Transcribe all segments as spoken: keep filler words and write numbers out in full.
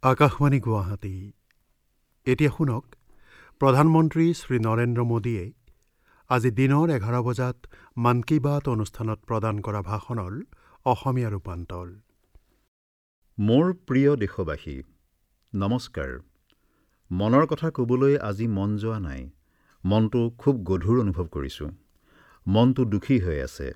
আকাশবাণী গুৱাহাটী। এতিয়া শুনক প্ৰধানমন্ত্ৰী শ্ৰী নৰেন্দ্ৰ মোদীয়ে আজি দিনৰ এঘাৰ বজাত মন কী বাত অনুষ্ঠানত প্ৰদান কৰা ভাষণৰ অসমীয়া ৰূপান্তৰ। মোৰ প্ৰিয় দেশবাসী, নমস্কাৰ। মনৰ কথা ক'বলৈ আজি মন যোৱা নাই। মনটো খুব গধুৰ অনুভৱ কৰিছোঁ। মনটো দুখী হৈ আছে।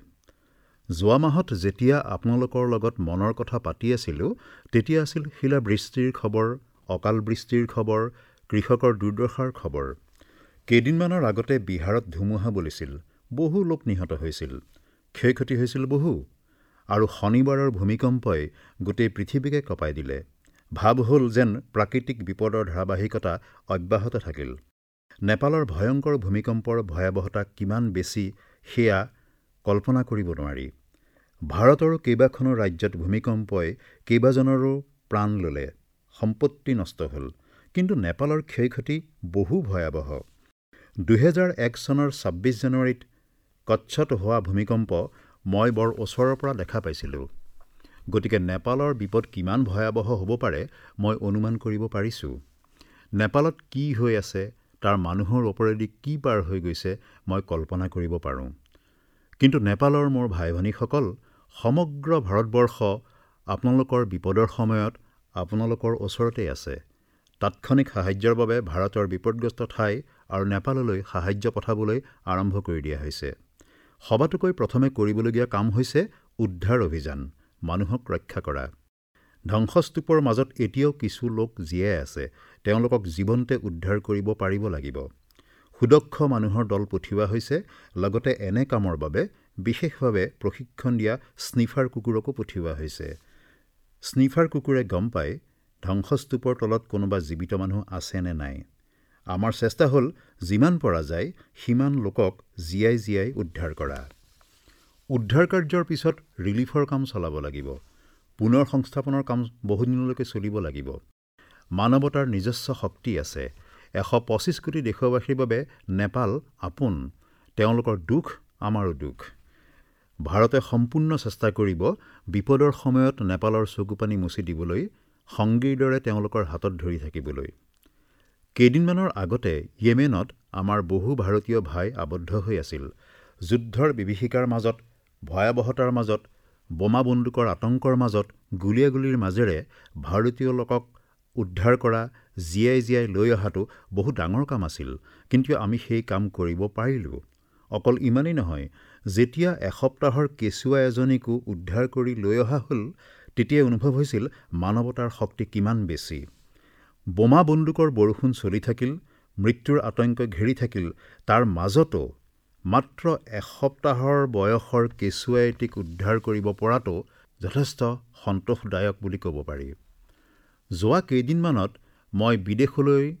যোৱা মাহত যেতিয়া আপোনালোকৰ লগত মনৰ কথা পাতি আছিলোঁ, তেতিয়া আছিল শিলাবৃষ্টিৰ খবৰ, অকাল বৃষ্টিৰ খবৰ, কৃষকৰ দুৰ্দশাৰ খবৰ। কেইদিনমানৰ আগতে বিহাৰত ধুমুহা বলিছিল, বহু লোক নিহত হৈছিল, ক্ষয়-ক্ষতি হৈছিল বহু। আৰু শনিবাৰৰ ভূমিকম্পই গোটেই পৃথিৱীকে কঁপাই দিলে। ভাৱ হ'ল যেন প্ৰাকৃতিক বিপদৰ ধাৰাবাহিকতা অব্যাহত থাকিল। নেপালৰ ভয়ংকৰ ভূমিকম্পৰ ভয়াৱহতা কিমান বেছি সেয়া কল্পনা কৰিব নোৱাৰি। ভাৰতৰো কেইবাখনো ৰাজ্যত ভূমিকম্পই কেইবাজনৰো প্ৰাণ ল'লে, সম্পত্তি নষ্ট হ'ল। কিন্তু নেপালৰ ক্ষয়-ক্ষতি বহু ভয়াৱহ। দুহেজাৰ এক চনৰ ছাব্বিছ জানুৱাৰীত কচ্ছত হোৱা ভূমিকম্প মই বৰ ওচৰৰ পৰা দেখা পাইছিলোঁ। গতিকে নেপালৰ বিপদ কিমান ভয়াৱহ হ'ব পাৰে মই অনুমান কৰিব পাৰিছোঁ। নেপালত কি হৈ আছে, তাৰ মানুহৰ ওপৰেদি কি পাৰ হৈ গৈছে মই কল্পনা কৰিব পাৰোঁ। কিন্তু নেপালৰ মোৰ ভাই-ভনীসকল, সমগ্ৰ ভাৰতবৰ্ষ আপোনালোকৰ বিপদৰ সময়ত আপোনালোকৰ ওচৰতেই আছে। তাৎক্ষণিক সাহায্যৰ বাবে ভাৰতৰ বিপদগ্ৰস্ত ঠাই আৰু নেপাললৈ সাহায্য পঠাবলৈ আৰম্ভ কৰি দিয়া হৈছে। সবাতোকৈ প্ৰথমে কৰিবলগীয়া কাম হৈছে উদ্ধাৰ অভিযান, মানুহক ৰক্ষা কৰা। ধ্বংসস্তূপৰ মাজত এতিয়াও কিছু লোক জীয়াই আছে, তেওঁলোকক জীৱন্তে উদ্ধাৰ কৰিব পাৰিব লাগিব। সুদক্ষ মানুহৰ দল পঠিওৱা হৈছে, লগতে এনে কামৰ বাবে বিশেষভাৱে প্ৰশিক্ষণ দিয়া স্নিফাৰ কুকুৰকো পঠিওৱা হৈছে। স্নিফাৰ কুকুৰে গম পায় ধ্বংসস্তূপৰ তলত কোনোবা জীৱিত মানুহ আছে নে নাই। আমাৰ চেষ্টা হ'ল যিমান পৰা যায় সিমান লোকক জীয়াই জীয়াই উদ্ধাৰ কৰা। উদ্ধাৰ কাৰ্যৰ পিছত ৰিলিফৰ কাম চলাব লাগিব। পুনৰ সংস্থাপনৰ কাম বহুদিনলৈকে চলিব লাগিব। মানৱতাৰ নিজস্ব শক্তি আছে। এশ পঁচিছ কোটি দেশবাসীৰ বাবে নেপাল আপোন। তেওঁলোকৰ দুখ আমাৰো দুখ। ভাৰতে সম্পূৰ্ণ চেষ্টা কৰিব বিপদৰ সময়ত নেপালৰ চকুপানী মুচি দিবলৈ, সংগীৰ দৰে তেওঁলোকৰ হাতত ধৰি থাকিবলৈ। কেইদিনমানৰ আগতে য়েমেনত আমাৰ বহু ভাৰতীয় ভাই আবদ্ধ হৈ আছিল। যুদ্ধৰ বিভীষিকাৰ মাজত, ভয়াৱহতাৰ মাজত, বোমা বন্দুকৰ আতংকৰ মাজত, গুলীয়াগুলীৰ মাজেৰে ভাৰতীয় লোকক উদ্ধাৰ কৰা, জীয়াই জীয়াই লৈ অহাটো বহু ডাঙৰ কাম আছিল। কিন্তু আমি সেই কাম কৰিব পাৰিলোঁ। অকল ইমানেই নহয়, যেতিয়া এসপ্তাহৰ কেঁচুৱা এজনীকো উদ্ধাৰ কৰি লৈ অহা হ'ল, তেতিয়াই অনুভৱ হৈছিল মানৱতাৰ শক্তি কিমান বেছি। বোমা বন্দুকৰ বৰষুণ চলি থাকিল, মৃত্যুৰ আতংক ঘেৰি থাকিল, তাৰ মাজতো মাত্ৰ এসপ্তাহৰ বয়সৰ কেঁচুৱা এটিক উদ্ধাৰ কৰিব পৰাটো যথেষ্ট সন্তোষদায়ক বুলি ক'ব পাৰি। যোৱা কেইদিনমানত মই বিদেশলৈ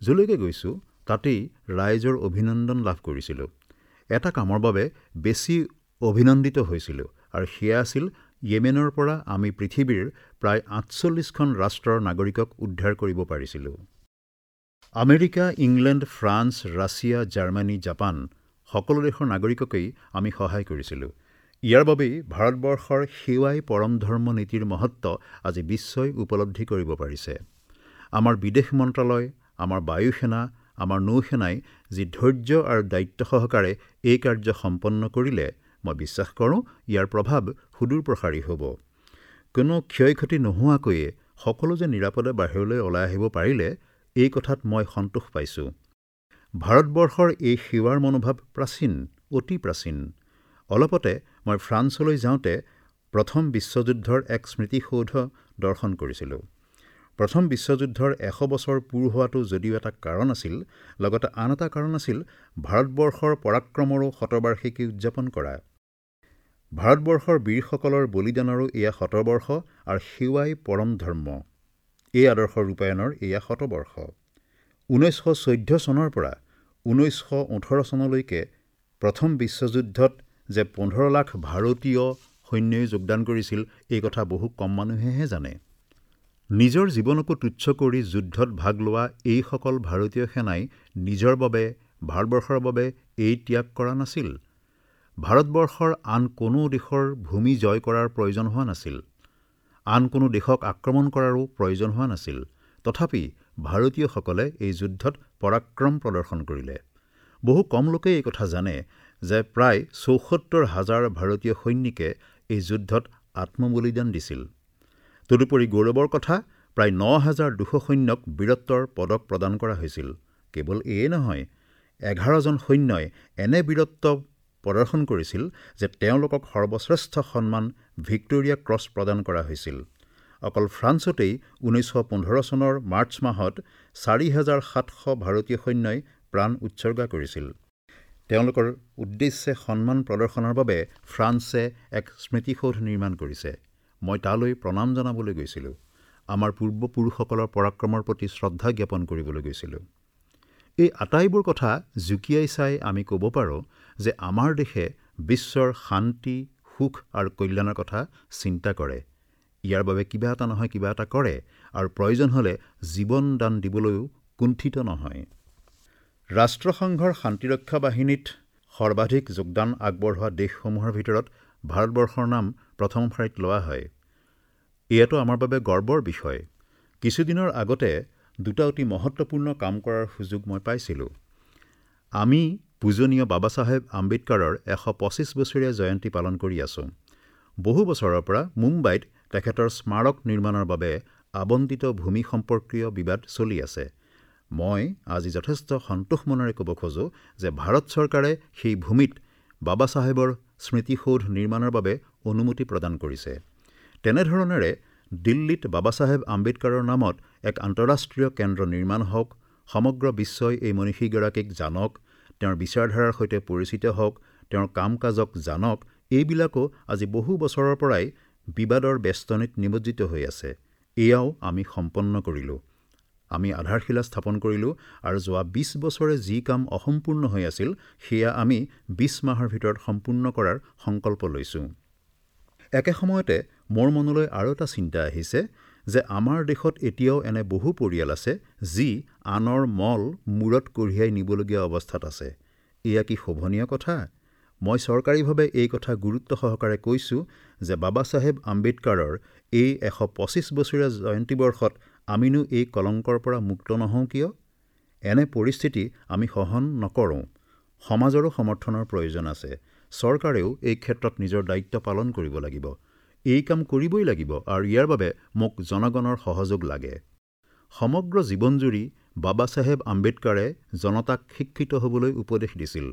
যলৈকে গৈছোঁ, তাতেই ৰাইজৰ অভিনন্দন লাভ কৰিছিলোঁ। এটা কামৰ বাবে বেছি অভিনন্দিত হৈছিলোঁ, আৰু সেয়া আছিল য়েমেনৰ পৰা আমি পৃথিৱীৰ প্ৰায় আঠচল্লিছখন ৰাষ্ট্ৰৰ নাগৰিকক উদ্ধাৰ কৰিব পাৰিছিলোঁ। America, England, France, Russia, Germany, Japan সকলো দেশৰ নাগৰিককেই আমি সহায় কৰিছিলোঁ। ইয়াৰ বাবেই ভাৰতবৰ্ষৰ সেৱাই পৰম ধৰ্ম নীতিৰ মহত্ব আজি বিশ্বই উপলব্ধি কৰিব পাৰিছে। আমাৰ বিদেশ মন্ত্ৰালয়, আমাৰ বায়ুসেনা, আমাৰ নৌসেনাই যি ধৈৰ্য আৰু দায়িত্ব সহকাৰে এই কাৰ্য সম্পন্ন কৰিলে, মই বিশ্বাস কৰোঁ ইয়াৰ প্ৰভাৱ সুদূৰপ্ৰসাৰী হ'ব। কোনো ক্ষয়-ক্ষতি নোহোৱাকৈয়ে সকলো যে নিৰাপদে বাহিৰলৈ ওলাই আহিব পাৰিলে, এই কথাত মই সন্তোষ পাইছোঁ। ভাৰতবৰ্ষৰ এই সেৱাৰ মনোভাৱ প্ৰাচীন, অতি প্ৰাচীন। অলপতে মই ফ্ৰান্সলৈ যাওঁতে প্ৰথম বিশ্বযুদ্ধৰ এক স্মৃতিসৌধ দৰ্শন কৰিছিলোঁ। প্ৰথম বিশ্বযুদ্ধৰ এশ বছৰ পূৰ হোৱাটো যদিও এটা কাৰণ আছিল, লগতে আন এটা কাৰণ আছিল ভাৰতবৰ্ষৰ পৰাক্ৰমৰো শতবাৰ্ষিকী উদযাপন কৰা। ভাৰতবৰ্ষৰ বীৰসকলৰ বলিদানৰো এয়া শতবৰ্ষ আৰু সেৱাই পৰম ধৰ্ম, এই আদৰ্শ ৰূপায়ণৰ এয়া শতবৰ্ষ। ঊনৈছশ চৈধ্য চনৰ পৰা ঊনৈছশ ওঠৰ চনলৈকে প্ৰথম বিশ্বযুদ্ধত যে পোন্ধৰ লাখ ভাৰতীয় সৈন্যই যোগদান কৰিছিল, এই কথা বহু কম মানুহেহে জানে। নিজৰ জীৱনকো তুচ্ছ কৰি যুদ্ধত ভাগ লোৱা এইসকল ভাৰতীয় সেনাই নিজৰ বাবে, ভাৰতবৰ্ষৰ বাবে এই ত্যাগ কৰা নাছিল। ভাৰতবৰ্ষৰ আন কোনো দেশৰ ভূমি জয় কৰাৰ প্ৰয়োজন হোৱা নাছিল। আন কোনো দেশক আক্ৰমণ কৰাৰো প্ৰয়োজন হোৱা নাছিল। তথাপি ভাৰতীয়সকলে এই যুদ্ধত পৰাক্ৰম প্ৰদৰ্শন কৰিলে। বহু কম লোকেই এই কথা জানে যে প্ৰায় চৌসত্তৰ হাজাৰ ভাৰতীয় সৈনিকে এই যুদ্ধত আত্মবলিদান দিছিল। তদুপৰি গৌৰৱৰ কথা, প্ৰায় ন হাজাৰ দুশ সৈন্যক বীৰত্বৰ পদক প্ৰদান কৰা হৈছিল। কেৱল এয়ে নহয়, এঘাৰজন সৈন্যই এনে বীৰত্ব প্ৰদৰ্শন কৰিছিল যে তেওঁলোকক সৰ্বশ্ৰেষ্ঠ সন্মান ভিক্টোৰিয়া ক্ৰছ প্ৰদান কৰা হৈছিল। অকল ফ্ৰান্সতেই ঊনৈছশ পোন্ধৰ চনৰ মাৰ্চ মাহত চাৰি হাজাৰ সাতশ ভাৰতীয় সৈন্যই প্ৰাণ উৎসৰ্গা কৰিছিল। তেওঁলোকৰ উদ্দেশ্যে সন্মান প্ৰদৰ্শনৰ বাবে ফ্ৰান্সে এক স্মৃতিসৌধ নিৰ্মাণ কৰিছে। মই তালৈ প্ৰণাম জনাবলৈ গৈছিলোঁ। আমাৰ পূৰ্বপুৰুষসকলৰ পৰাক্ৰমৰ প্ৰতি শ্ৰদ্ধা জ্ঞাপন কৰিবলৈ গৈছিলোঁ। এই আটাইবোৰ কথা জুকিয়াই চাই আমি ক'ব পাৰোঁ যে আমাৰ দেশে বিশ্বৰ শান্তি, সুখ আৰু কল্যাণৰ কথা চিন্তা কৰে। ইয়াৰ বাবে কিবা এটা নহয় কিবা এটা কৰে আৰু প্ৰয়োজন হ'লে জীৱন দান দিবলৈও কুণ্ঠিত নহয়। ৰাষ্ট্ৰসংঘৰ শান্তিৰক্ষা বাহিনীত সৰ্বাধিক যোগদান আগবঢ়োৱা দেশসমূহৰ ভিতৰত ভাৰতবৰ্ষৰ নাম প্ৰথম শাৰীত লোৱা হয়। এয়াতো আমাৰ বাবে গৰ্বৰ বিষয়। কিছুদিনৰ আগতে দুটা অতি মহত্বপূৰ্ণ কাম কৰাৰ সুযোগ মই পাইছিলোঁ। আমি পূজনীয় বাবা চাহেব আম্বেদকাৰৰ এশ পঁচিছ বছৰীয়া জয়ন্তী পালন কৰি আছোঁ। বহু বছৰৰ পৰা মুম্বাইত তেখেতৰ স্মাৰক নিৰ্মাণৰ বাবে আবণ্টিত ভূমি সম্পৰ্কীয় বিবাদ চলি আছে। মই আজি যথেষ্ট সন্তোষ মনেৰে ক'ব খোজোঁ যে ভাৰত চৰকাৰে সেই ভূমিত বাবা চাহেবৰ স্মৃতিসৌধ নিৰ্মাণৰ বাবে অনুমতি প্ৰদান কৰিছে। তেনেধৰণেৰে দিল্লীত বাবা চাহেব আম্বেদকাৰৰ নামত এক আন্তঃৰাষ্ট্ৰীয় কেন্দ্ৰ নিৰ্মাণ হওক, সমগ্ৰ বিশ্বই এই মনীষীগৰাকীক জানক, তেওঁৰ বিচাৰধাৰাৰ সৈতে পৰিচিত হওক, তেওঁৰ কাম কাজক জানক, এইবিলাকো আজি বহু বছৰৰ পৰাই বিবাদৰ বেষ্টনীত নিমজ্জিত হৈ আছে। এয়াও আমি সম্পন্ন কৰিলোঁ। আমি আধাৰশিলা স্থাপন কৰিলোঁ আৰু যোৱা বিছ বছৰে যি কাম অসম্পূৰ্ণ হৈ আছিল সেয়া আমি বিছ মাহৰ ভিতৰত সম্পূৰ্ণ কৰাৰ সংকল্প লৈছোঁ। একে সময়তে মোৰ মনলৈ আৰু এটা চিন্তা আহিছে যে আমাৰ দেশত এতিয়াও এনে বহু পৰিয়াল আছে যি আনৰ মল মূৰত কঢ়িয়াই নিবলগীয়া অৱস্থাত আছে। এয়া কি শোভনীয় কথা? মই চৰকাৰীভাৱে এই কথা গুৰুত্ব সহকাৰে কৈছোঁ যে বাবা চাহেব আম্বেদকাৰৰ এই এশ পঁচিছ বছৰীয়া জয়ন্তী বৰ্ষত আমিনো এই কলংকৰ পৰা মুক্ত নহওঁ কিয়? এনে পৰিস্থিতি আমি সহন নকৰোঁ। সমাজৰো সমৰ্থনৰ প্ৰয়োজন আছে। চৰকাৰেও এই ক্ষেত্ৰত নিজৰ দায়িত্ব পালন কৰিব লাগিব। এই কাম কৰিবই লাগিব আৰু ইয়াৰ বাবে মোক জনগণৰ সহযোগ লাগে। সমগ্ৰ জীৱনজুৰি বাবা চাহেব আম্বেদকাৰে জনতাক শিক্ষিত হ'বলৈ উপদেশ দিছিল।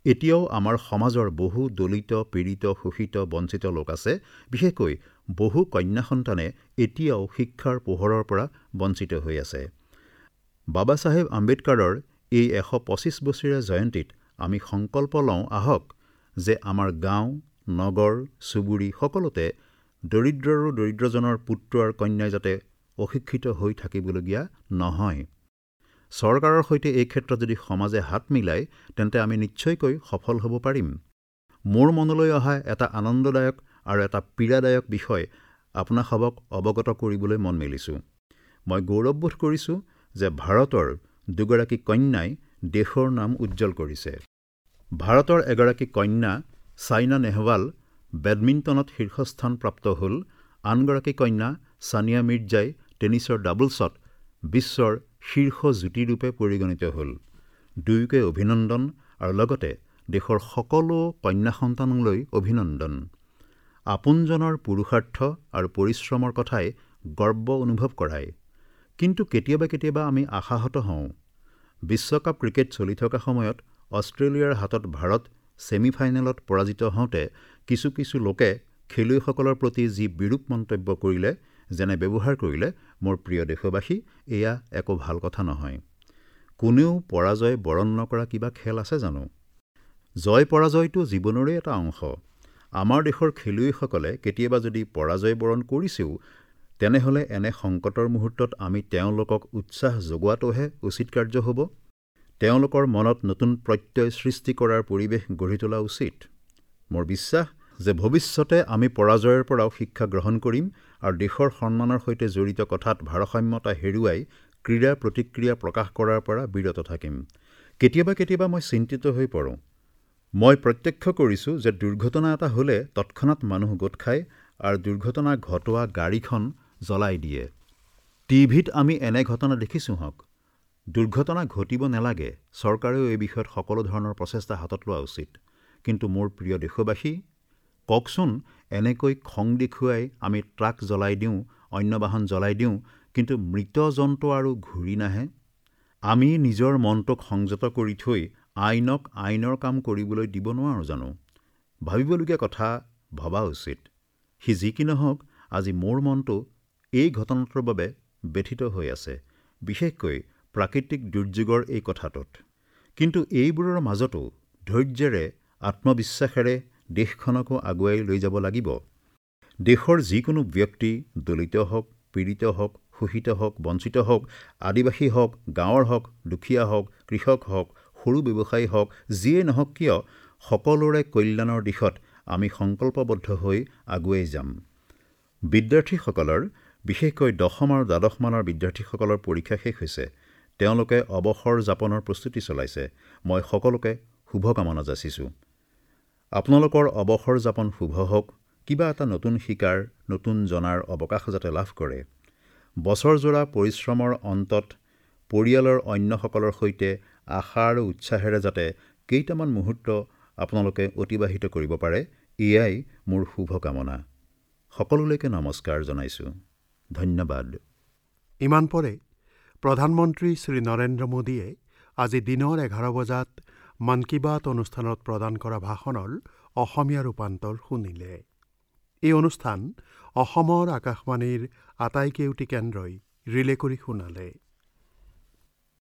এতিয়াও আমাৰ সমাজৰ বহু দলিত, পীড়িত, শোষিত, বঞ্চিত লোক আছে। বিশেষকৈ বহু কন্যা সন্তানে এতিয়াও শিক্ষাৰ পোহৰৰ পৰা বঞ্চিত হৈ আছে। বাবা চাহেব আম্বেদকাৰৰ এই এশ পঁচিছ বছৰীয়া জয়ন্তীত আমি সংকল্প লওঁ আহক যে আমাৰ গাঁও, নগৰ, চুবুৰী সকলোতে দৰিদ্ৰৰো দৰিদ্ৰজনৰ পুত্ৰ আৰু কন্যাই যাতে অশিক্ষিত হৈ থাকিবলগীয়া নহয়। চৰকাৰৰ সৈতে এই ক্ষেত্ৰত যদি সমাজে হাত মিলায় তেন্তে আমি নিশ্চয়কৈ সফল হ'ব পাৰিম। মোৰ মনলৈ অহা এটা আনন্দদায়ক আৰু এটা পীড়াদায়ক বিষয় আপোনাসবক অৱগত কৰিবলৈ মন মেলিছোঁ। মই গৌৰৱবোধ কৰিছোঁ যে ভাৰতৰ দুগৰাকী কন্যাই দেশৰ নাম উজ্জ্বল কৰিছে। ভাৰতৰ এগৰাকী কন্যা ছাইনা নেহৱাল বেডমিণ্টনত শীৰ্ষস্থান প্ৰাপ্ত হ'ল। আনগৰাকী কন্যা ছানিয়া মিৰ্জাই টেনিছৰ ডাবলছত বিশ্বৰ শীৰ্ষ যুটিৰূপে পৰিগণিত হ'ল। দুয়োকে অভিনন্দন আৰু লগতে দেশৰ সকলো কন্যা সন্তানলৈ অভিনন্দন। আপোনজনৰ পুৰুষাৰ্থ আৰু পৰিশ্ৰমৰ কথাই গৰ্ব অনুভৱ কৰায়। কিন্তু কেতিয়াবা কেতিয়াবা আমি আশাহত হওঁ। বিশ্বকাপ ক্ৰিকেট চলি থকা সময়ত অষ্ট্ৰেলিয়াৰ হাতত ভাৰত ছেমিফাইনেলত পৰাজিত হওঁতে কিছু কিছু লোকে খেলুৱৈসকলৰ প্ৰতি যি বিৰূপ মন্তব্য কৰিলে, যেনে ব্যৱহাৰ কৰিলে, মোৰ প্ৰিয় দেশবাসী, এয়া একো ভাল কথা নহয়। কোনেও পৰাজয় বৰণ নকৰা কিবা খেল আছে জানো? জয় পৰাজয়টো জীৱনৰে এটা অংশ। আমাৰ দেশৰ খেলুৱৈসকলে কেতিয়াবা যদি পৰাজয় বৰণ কৰিছেও, তেনেহ'লে এনে সংকটৰ মুহূৰ্তত আমি তেওঁলোকক উৎসাহ যোগোৱাটোহে উচিত কাৰ্য হ'ব। তেওঁলোকৰ মনত নতুন প্ৰত্যয় সৃষ্টি কৰাৰ পৰিৱেশ গঢ়ি তোলা উচিত। মোৰ বিশ্বাস যে ভৱিষ্যতে আমি পৰাজয়ৰ পৰাও শিক্ষা গ্ৰহণ কৰিম আৰু দেশৰ সন্মানৰ সৈতে জড়িত কথাত ভাৰসাম্যতা হেৰুৱাই ক্ৰীড়া প্ৰতিক্ৰিয়া প্ৰকাশ কৰাৰ পৰা বিৰত থাকিম। কেতিয়াবা কেতিয়াবা মই চিন্তিত হৈ পৰোঁ। মই প্ৰত্যক্ষ কৰিছোঁ যে দুৰ্ঘটনা এটা হ'লে তৎক্ষণাত মানুহ গোট খায় আৰু দুৰ্ঘটনা ঘটোৱা গাড়ীখন জ্বলাই দিয়ে। টিভিত আমি এনে ঘটনা দেখিছোঁ হওক। দুৰ্ঘটনা ঘটিব নালাগে, চৰকাৰেও এই বিষয়ত সকলো ধৰণৰ প্ৰচেষ্টা হাতত লোৱা উচিত। কিন্তু মোৰ প্ৰিয় দেশবাসী, কওকচোন, এনেকৈ খং দেখুৱাই আমি ট্ৰাক জ্বলাই দিওঁ, অন্য বাহন জ্বলাই দিওঁ, কিন্তু মৃত জন্তু আৰু ঘূৰি নাহে। আমি নিজৰ মনটোক সংযত কৰি থৈ আইনক আইনৰ কাম কৰিবলৈ দিব নোৱাৰোঁ জানো? ভাবিবলগীয়া কথা ভবা উচিত। সি যি কি নহওক, আজি মোৰ মনটো এই ঘটনাটোৰ বাবে ব্যথিত হৈ আছে, বিশেষকৈ প্ৰাকৃতিক দুৰ্যোগৰ এই কথাটোত। কিন্তু এইবোৰৰ মাজতো ধৈৰ্যেৰে, আত্মবিশ্বাসেৰে দেশখনকো আগুৱাই লৈ যাব লাগিব। দেশৰ যিকোনো ব্যক্তি, দলিত হওক, পীড়িত হওক, শোষিত হওক, বঞ্চিত হওক, আদিবাসী হওক, গাঁৱৰ হওক, দুখীয়া হওক, কৃষক হওক, সৰু ব্যৱসায়ী হওক, যিয়েই নহওক কিয়, সকলোৰে কল্যাণৰ দিশত আমি সংকল্পবদ্ধ হৈ আগুৱাই যাম। বিদ্যাৰ্থীসকলৰ, বিশেষকৈ দশম আৰু দ্বাদশ মানৰ বিদ্যাৰ্থীসকলৰ পৰীক্ষা শেষ হৈছে। তেওঁলোকে অৱসৰ যাপনৰ প্ৰস্তুতি চলাইছে। মই সকলোকে শুভকামনা যাচিছোঁ। আপোনালোকৰ অৱসৰ যাপন শুভ হওক, কিবা এটা নতুন শিকাৰ, নতুন জনাৰ অৱকাশ যাতে লাভ কৰে। বছৰজোৰা পৰিশ্ৰমৰ অন্তত পৰিয়ালৰ অন্যসকলৰ সৈতে আশা আৰু উৎসাহেৰে যাতে কেইটামান মুহূৰ্ত আপোনালোকে অতিবাহিত কৰিব পাৰে, এয়াই মোৰ শুভকামনা। সকলোলৈকে নমস্কাৰ জনাইছোঁ। ধন্যবাদ। ইমান পৰে প্ৰধানমন্ত্ৰী শ্ৰী নৰেন্দ্ৰ মোদীয়ে আজি দিনৰ এঘাৰ বজাত মন কী বাত অনুষ্ঠানত প্ৰদান কৰা ভাষণৰ অসমীয়া ৰূপান্তৰ শুনিলে। এই অনুষ্ঠান অসমৰ আকাশবাণীৰ আটাইকেইটি কেন্দ্ৰই ৰিলে কৰি শুনালে।